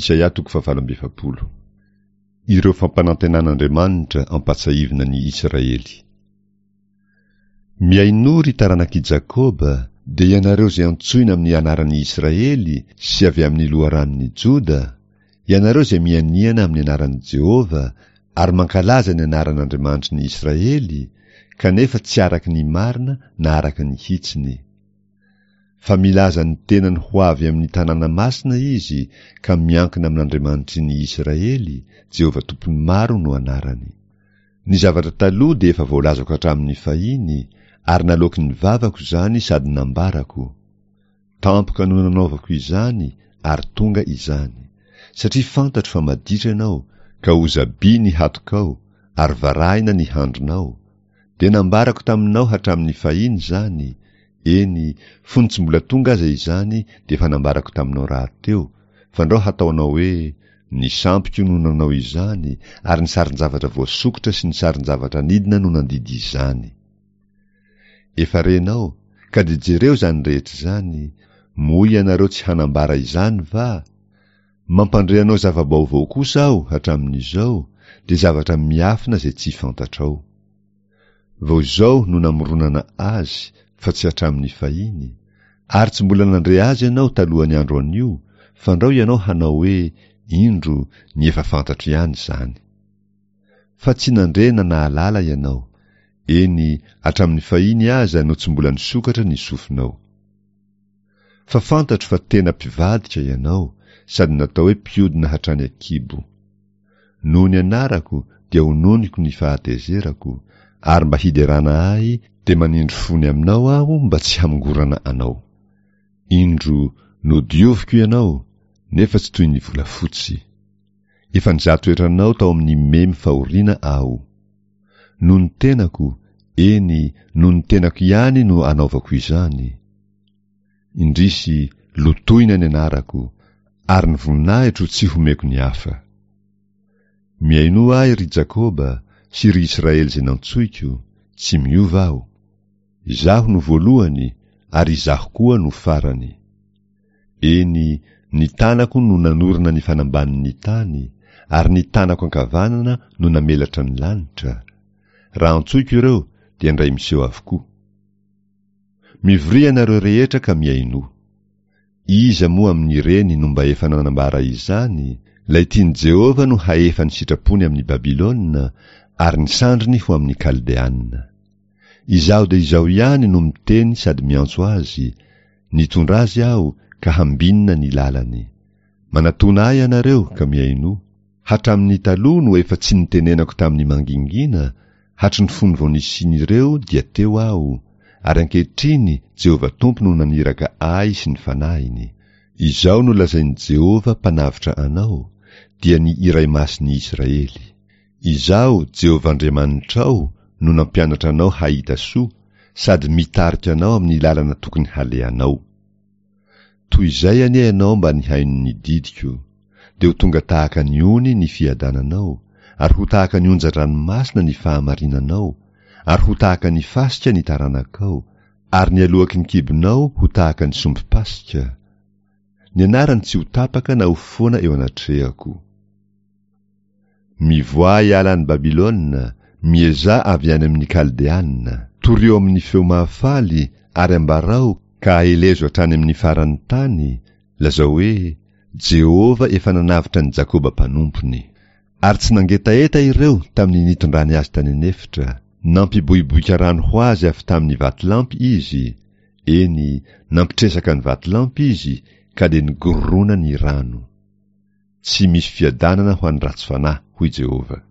Isaia toko fahavalo amby 40. Ireo fampanantenan'Andriamanitra ampatsahivina ny Isiraely. Mihainoa ry taranak'i Jakoba, dia ianareo izay antsoina amin'ny anaran'i Israely sy avy amin'ny loharanon'i Joda, ianareo izay mianiana amin'ny anaran'i Jehovah ary mankalaza ny anaran'Andriamanitry ny Israely, kanefa tsy araka ny marina na araka ny hitsiny. Fa milaza ny tenany ho avy amin'ny tanàna masina izy ka miankina amin'Andriamanitry ny Israely, Jehovah Tompon'ny maro no anarany. Ny zavatra taloha dia efa voalazako hatramin'ny fahiny, ary naloaky ny vavako izany sady nambarako. Tampoka no nanaovako izany ary tonga izany. Satria fantatro fa maditra ianao, ka hozabi ny hatokao, ary varahina ny handrinao. Dia nambarako taminao hatramin'ny fahiny izany, eny, fony tsy mbola tonga aza izany dia efa nambarako taminao rahateo, fandrao hataonao hoe, Ny sampiko no nanao izany, ary ny sarin-javatra voasokitra sy ny sarin-javatra anidina no nandidy izany. Efa renao, ka dia jereo izany rehetra izany, moa ianareo tsy hanambara izany va? Mampandre anao zava-baovao kosa aho hatramin'izao, dia zavatra miafina izay tsy fantatrao. Vao izao no namoronana azy fa tsy hatramin'ny fahiny, ary tsy mbola nandre azy ianao talohan'ny andro anio, fandrao ianao hanao hoe, Indro, ny efa fantatro ihany izany. Fa tsy nandre na nahalala ianao, eny, hatramin'ny fahiny aza no tsy mbola nisokatra ny sofinao. Fa fantatro fa tena mpivadika ianao sady natao hoe mpiodina hatrany an-kibo. Noho ny anarako dia hononiko ny fahatezerako, ary mba hiderana ahy dia manindry fo ny aminao aho mba tsy hamongorana anao. Indro, nodioviko ianao, nefa tsy toy ny volafotsy. Efa nizaha toetra anao tao amin'ny memy fahoriana aho. Noho ny tenako, eny, noho ny tenako ihany no anaovako izany. Indrisy, lotoina ny anarako, ary ny voninahitro tsy homeko ny hafa. Mihainoa ahy, ry Jakoba, sy ry Israely izay nantsoiko, tsy miova aho. Izaho no voalohany, ary izaho koa no farany. Eny, ny tanako no nanorina ny fanambanin'ny tany, ary ny tanako ankavanana no namelatra ny lanitra. Raha antsoiko ireo, dia indray miseho avokoa. Mivoria ianareo rehetra ka mihainoa. Iza moa amin'ireny no mba efa nanambara izany? Ilay tian'i Jehovah no hahefa ny sitrapony amin'i Babylona, ary ny sandriny ho amin'ny Kaldeana. Izaho dia Izaho ihany no miteny sady miantso azy, nitondra azy Aho ka hambinina ny lalany. Manatòna Ahy ianareo ka mihainoa. Hatramin'ny taloha no efa tsy nitenenako tamin'ny mangingina, hatry ny fony vao nisian'ireo dia teo Aho, ary ankehitriny Jehovah Tompo no naniraka Ahy sy ny Fanahiny. Izao no lazain'i Jehovah Mpanavotra anao, dia ny Iray Masin'ny Israely. Izaho, Jehovah Andriamanitrao, no nampianatra anao hahita soa, sady mitarika anao amin'ny lalana tokony halehanao. Toy izay anie ianao mba nihaino ny didiko, dia ho tonga tahaka ny ony ny fiadananao, ary ho tahaka ny onjan-dranomasina ny fahamarinanao, ary ho tahaka ny fasika ny taranakao, ary ny aloaky ny kibonao ho tahaka ny sombim-pasika. Ny anarany tsy ho tapaka na ho foana eo anatrehako. Mivoaha hiala any Babylona, miezaha avy any amin'ny Kaldeana. Torio amin'ny feo mahafaly ary ambarao ka aelezo hatrany amin'ny faran'ny tany, lazao hoe, Jehovah efa nanavotra an'i Jakoba mpanompony. Ary tsy nangetaheta ireo tamin'ny nitondrany azy tany an'efitra. Nampiboiboika rano ho azy avy tamin'ny vatolampy izy, eny, nampitresaka ny vatolampy izy, ka dia nigorona ny rano. Tsy misy fiadanana ho an'ny ratsy fanahy, hoy Jehovah.